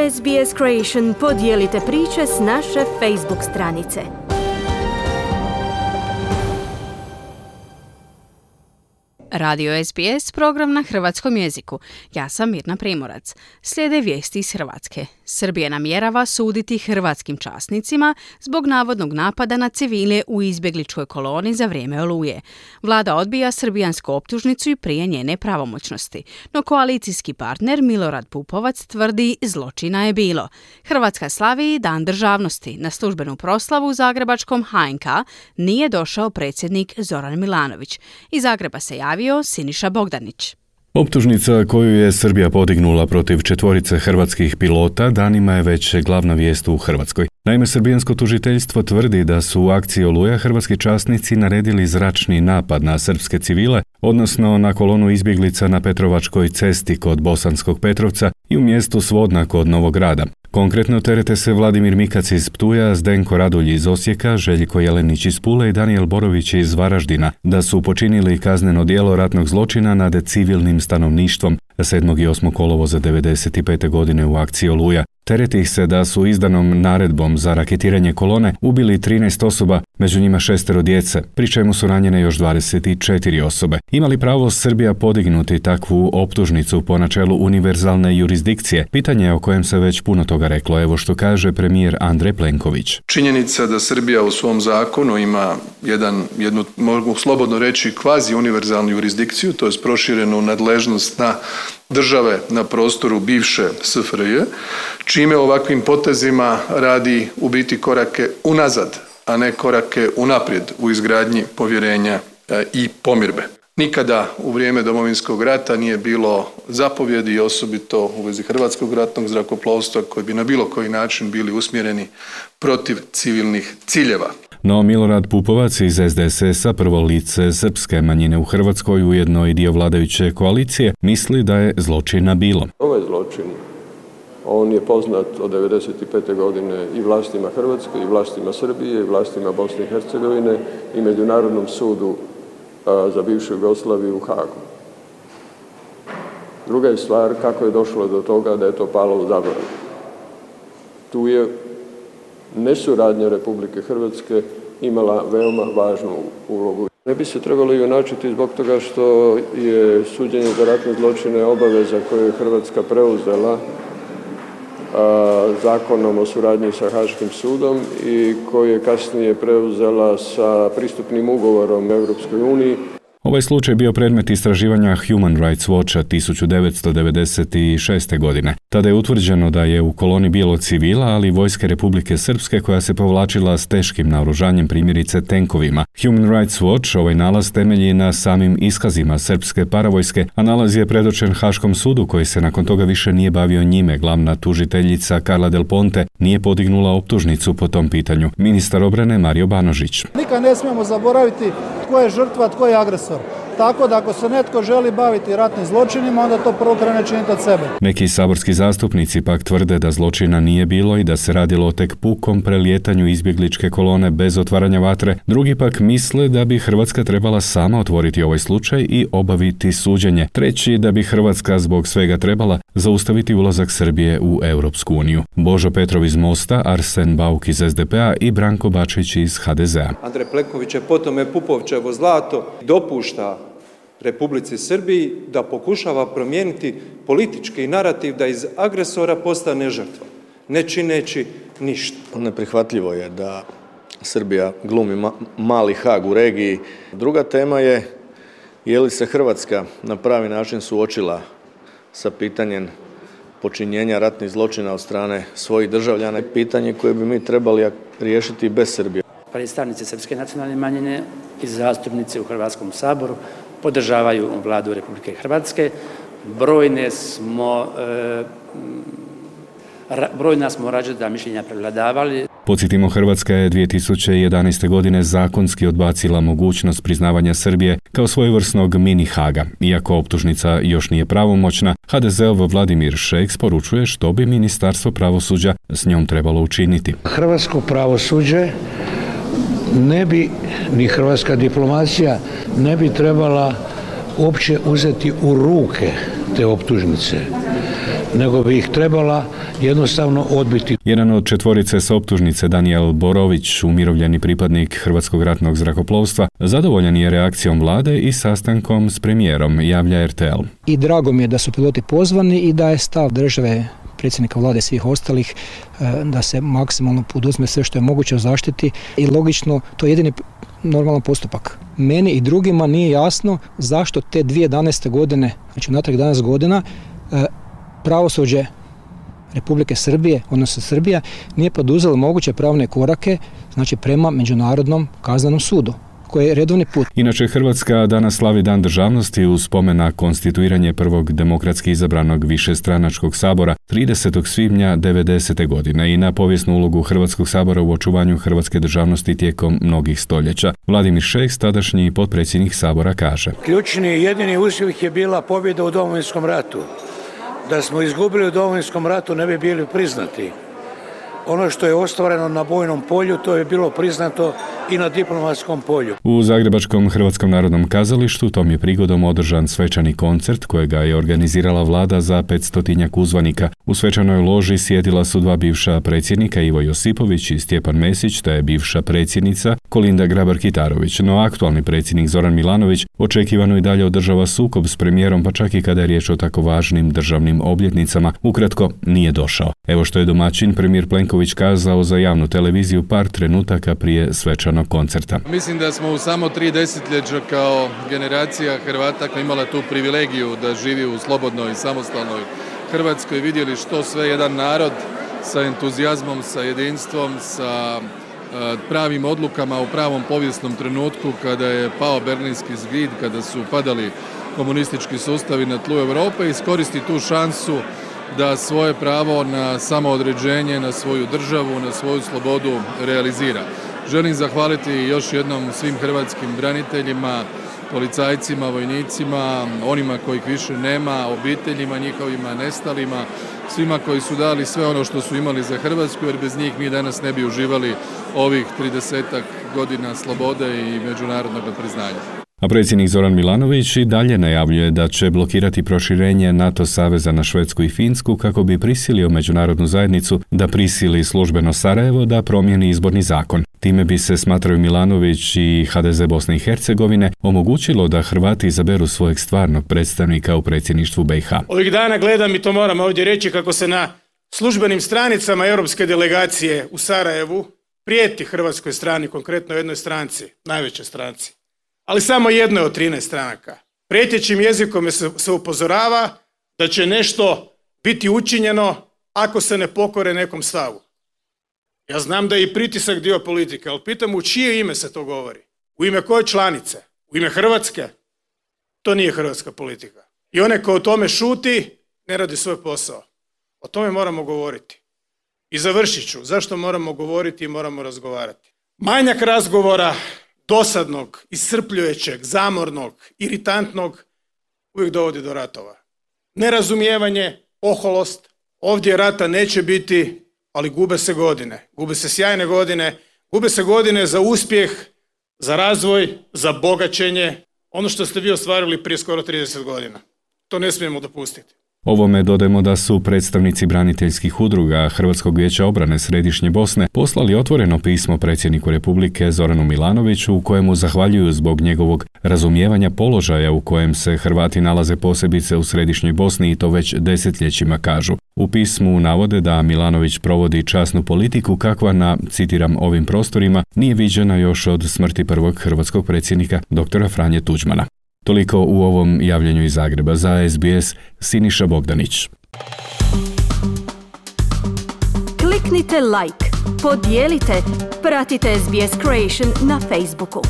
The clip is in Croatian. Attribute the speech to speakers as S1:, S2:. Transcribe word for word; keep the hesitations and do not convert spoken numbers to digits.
S1: S B S Creation podijelite priče s naše Facebook stranice.
S2: Radio S B S, program na hrvatskom jeziku. Ja sam Mirna Primorac. Slijede vijesti iz Hrvatske. Srbija namjerava suditi hrvatskim časnicima zbog navodnog napada na civile u izbjegličkoj koloni za vrijeme Oluje. Vlada odbija srbijansku optužnicu i prije njene pravomoćnosti. No koalicijski partner Milorad Pupovac tvrdi zločina je bilo. Hrvatska slavi Dan državnosti. Na službenu proslavu u zagrebačkom H N K nije došao predsjednik Zoran Milanović. Iz Zagreba se javio Siniša Bogdanić.
S3: Optužnica koju je Srbija podignula protiv četvorice hrvatskih pilota danima je već glavna vijest u Hrvatskoj. Naime, srbijansko tužiteljstvo tvrdi da su u akciji Oluja hrvatski časnici naredili zračni napad na srpske civile, odnosno na kolonu izbjeglica na Petrovačkoj cesti kod Bosanskog Petrovca i u mjestu Svodna kod Novog Grada. Konkretno terete se Vladimir Mikac iz Ptuja, Zdenko Radulj iz Osijeka, Željko Jelenić iz Pule i Danijel Borović iz Varaždina, da su počinili kazneno djelo ratnog zločina nad civilnim stanovništvom sedmog i osmog kolovoza devedeset pete godine u akciji Oluja. Tereti ih se da su izdanom naredbom za raketiranje kolone ubili trinaest osoba, među njima šestero djece, pri čemu su ranjene još dvadeset četiri osobe. Ima li pravo Srbija podignuti takvu optužnicu po načelu univerzalne jurisdikcije? Pitanje je o kojem se već puno toga reklo. Evo što kaže premijer Andrej Plenković.
S4: Činjenica da Srbija u svom zakonu ima jedan, jednu, mogu slobodno reći, kvazi univerzalnu jurisdikciju, to je proširenu nadležnost na države na prostoru bivše S F R J, čime ovakvim potezima radi u biti korake unazad, a ne korake unaprijed u izgradnji povjerenja i pomirbe. Nikada u vrijeme Domovinskog rata nije bilo zapovjedi, osobito u vezi hrvatskog ratnog zrakoplovstva, koji bi na bilo koji način bili usmjereni protiv civilnih ciljeva.
S3: No Milorad Pupovac iz S D S S-a, prvo lice srpske manjine u Hrvatskoj, ujedno i dio vladajuće koalicije, misli da je zločina bilo.
S5: Ovaj zločin, on je poznat od devedeset pete godine i vlastima Hrvatske, i vlastima Srbije, i vlastima Bosne i Hercegovine i Međunarodnom sudu a, za bivšu Jugoslaviju u Hagu. Druga je stvar kako je došlo do toga da je to palo u zaborav. Tu je nesuradnja Republike Hrvatske imala veoma važnu ulogu. Ne bi se trebalo junačiti zbog toga što je suđenje za ratne zločine obaveza koju je Hrvatska preuzela a, zakonom o suradnji sa Haškim sudom i koju je kasnije preuzela sa pristupnim ugovorom Europskoj uniji.
S3: Ovaj slučaj bio predmet istraživanja Human Rights Watcha tisuću devetsto devedeset šeste. godine. Tada je utvrđeno da je u koloni bilo civila, ali vojske Republike Srpske koja se povlačila s teškim naoružanjem, primjerice tenkovima. Human Rights Watch ovaj nalaz temelji na samim iskazima srpske paravojske, a nalaz je predočen Haškom sudu koji se nakon toga više nije bavio njime. Glavna tužiteljica Carla Del Ponte nije podignula optužnicu po tom pitanju. Ministar obrane Mario Banožić.
S6: Nikad ne smijemo zaboraviti tko je žrtva, tko je agresor. Tako da ako se netko želi baviti ratnim zločinima, onda to prvo krene činiti od sebe.
S3: Neki saborski zastupnici pak tvrde da zločina nije bilo i da se radilo o tek pukom prelijetanju izbjegličke kolone bez otvaranja vatre. Drugi pak misle da bi Hrvatska trebala sama otvoriti ovaj slučaj i obaviti suđenje. Treći da bi Hrvatska zbog svega trebala zaustaviti ulazak Srbije u Europsku uniju. Božo Petrov iz Mosta, Arsen Bauk iz S D P-a i Branko Bačić iz H D Z-a.
S7: Andrej Plenković je potom je Pupovčevo zlato, dopušta Republici Srbiji da pokušava promijeniti politički narativ da iz agresora postane žrtva, ne čineći ništa.
S8: Neprihvatljivo je da Srbija glumi ma- mali Hag u regiji. Druga tema je je li se Hrvatska na pravi način suočila sa pitanjem počinjenja ratnih zločina od strane svojih državljana, pitanje koje bi mi trebali riješiti bez Srbije.
S9: Predstavnici srpske nacionalne manjine i zastupnici u Hrvatskom saboru podržavaju vladu Republike Hrvatske. Brojne smo, e, brojna smo različita mišljenja prevladavali.
S3: Podsjetimo, Hrvatska je dvije tisuće jedanaeste. godine zakonski odbacila mogućnost priznavanja Srbije kao svojevrsnog mini Haga. Iako optužnica još nije pravomoćna, H D Z-ov Vladimir Šeks poručuje što bi Ministarstvo pravosuđa s njom trebalo učiniti.
S10: Hrvatsko pravosuđe ne bi, ni hrvatska diplomacija, ne bi trebala uopće uzeti u ruke te optužnice. nego bi ih trebala jednostavno odbiti.
S3: Jedan od četvorice s optužnice, Danijel Borović, umirovljeni pripadnik Hrvatskog ratnog zrakoplovstva, zadovoljan je reakcijom vlade i sastankom s premijerom, javlja er te el.
S11: I drago mi je da su piloti pozvani i da je stav države, predsjednika vlade i svih ostalih da se maksimalno poduzme sve što je moguće u zaštiti i logično to je jedini normalan postupak. Meni i drugima nije jasno zašto te dvije tisuće jedanaeste. godine, znači natrag jedanaest godina, pravosuđe Republike Srbije, odnosno Srbija, nije poduzela moguće pravne korake, znači prema Međunarodnom kaznenom sudu, koji je redovni put.
S3: Inače, Hrvatska danas slavi Dan državnosti uz spomen na konstituiranje prvog demokratski izabranog višestranačkog sabora tridesetog svibnja devedesete. godine i na povijesnu ulogu Hrvatskog sabora u očuvanju hrvatske državnosti tijekom mnogih stoljeća. Vladimir Šeks, tadašnji potpredsjednik sabora, kaže:
S10: Ključni i jedini uspjeh je bila pobjeda u Domovinskom ratu. Da smo izgubili u Domovinskom ratu ne bi bili priznati. Ono što je ostvareno na bojnom polju, to je bilo priznato i na diplomatskom polju.
S3: U Zagrebačkom Hrvatskom narodnom kazalištu tom je prigodom održan svečani koncert kojega je organizirala vlada za petstotinjak uzvanika. U svečanoj loži sjedila su dva bivša predsjednika, Ivo Josipović i Stjepan Mesić, te bivša predsjednica Kolinda Grabar-Kitarović, no aktualni predsjednik Zoran Milanović očekivano i dalje održava sukob s premijerom, pa čak i kada je riječ o tako važnim državnim obljetnicama. Ukratko, nije došao. Evo što je domaćin premijer Plenković kazao za javnu televiziju par trenutaka prije svečanog koncerta.
S4: Mislim da smo u samo tri desetljeća kao generacija Hrvata koja imala tu privilegiju da živi u slobodnoj i samostalnoj Hrvatskoj vidjeli što sve jedan narod sa entuzijazmom, sa jedinstvom, sa pravim odlukama u pravom povijesnom trenutku kada je pao Berlinski zid, kada su padali komunistički sustavi na tlu Europe, iskoristi tu šansu da svoje pravo na samoodređenje, na svoju državu, na svoju slobodu realizira. Želim zahvaliti još jednom svim hrvatskim braniteljima, policajcima, vojnicima, onima kojih više nema, obiteljima njihovima, nestalima, svima koji su dali sve ono što su imali za Hrvatsku, jer bez njih mi danas ne bi uživali ovih tridesetak godina slobode i međunarodnog priznanja.
S3: A predsjednik Zoran Milanović i dalje najavljuje da će blokirati proširenje NATO saveza na Švedsku i Finsku kako bi prisilio međunarodnu zajednicu da prisili službeno Sarajevo da promijeni izborni zakon. Time bi se, smatraju Milanović i ha de ze Bosne i Hercegovine, omogućilo da Hrvati izaberu svojeg stvarnog predstavnika u predsjedništvu be i ha.
S12: Ovih dana gledam, i to moram ovdje reći, kako se na službenim stranicama europske delegacije u Sarajevu prijeti hrvatskoj strani, konkretno jednoj stranci, najvećoj stranci, ali samo jednoj od trinaest stranaka. Prijetećim jezikom se, se upozorava da će nešto biti učinjeno ako se ne pokore nekom stavu. Ja znam da je i pritisak dio politike, ali pitam u čije ime se to govori? U ime koje članice? U ime Hrvatske? To nije hrvatska politika. I onaj ko o tome šuti, ne radi svoj posao. O tome moramo govoriti. I završit ću. Zašto moramo govoriti i moramo razgovarati? Manjak razgovora, dosadnog, iscrpljujućeg, zamornog, iritantnog, uvijek dovodi do ratova. Nerazumijevanje, oholost, ovdje rata neće biti, ali gube se godine. Gube se sjajne godine, gube se godine za uspjeh, za razvoj, za bogaćenje, ono što ste vi ostvarili prije skoro trideset godina. To ne smijemo dopustiti.
S3: Ovome dodajemo da su predstavnici braniteljskih udruga Hrvatskog vijeća obrane Središnje Bosne poslali otvoreno pismo predsjedniku Republike Zoranu Milanoviću u kojemu zahvaljuju zbog njegovog razumijevanja položaja u kojem se Hrvati nalaze, posebice u Središnjoj Bosni, i to već desetljećima, kažu. U pismu navode da Milanović provodi časnu politiku kakva na, citiram, ovim prostorima nije viđena još od smrti prvog hrvatskog predsjednika doktora Franje Tuđmana. Toliko u ovom javljanju iz Zagreba. Za es be es, Siniša Bogdanić.
S1: Kliknite like, podijelite, pratite es be es Creation na Facebooku.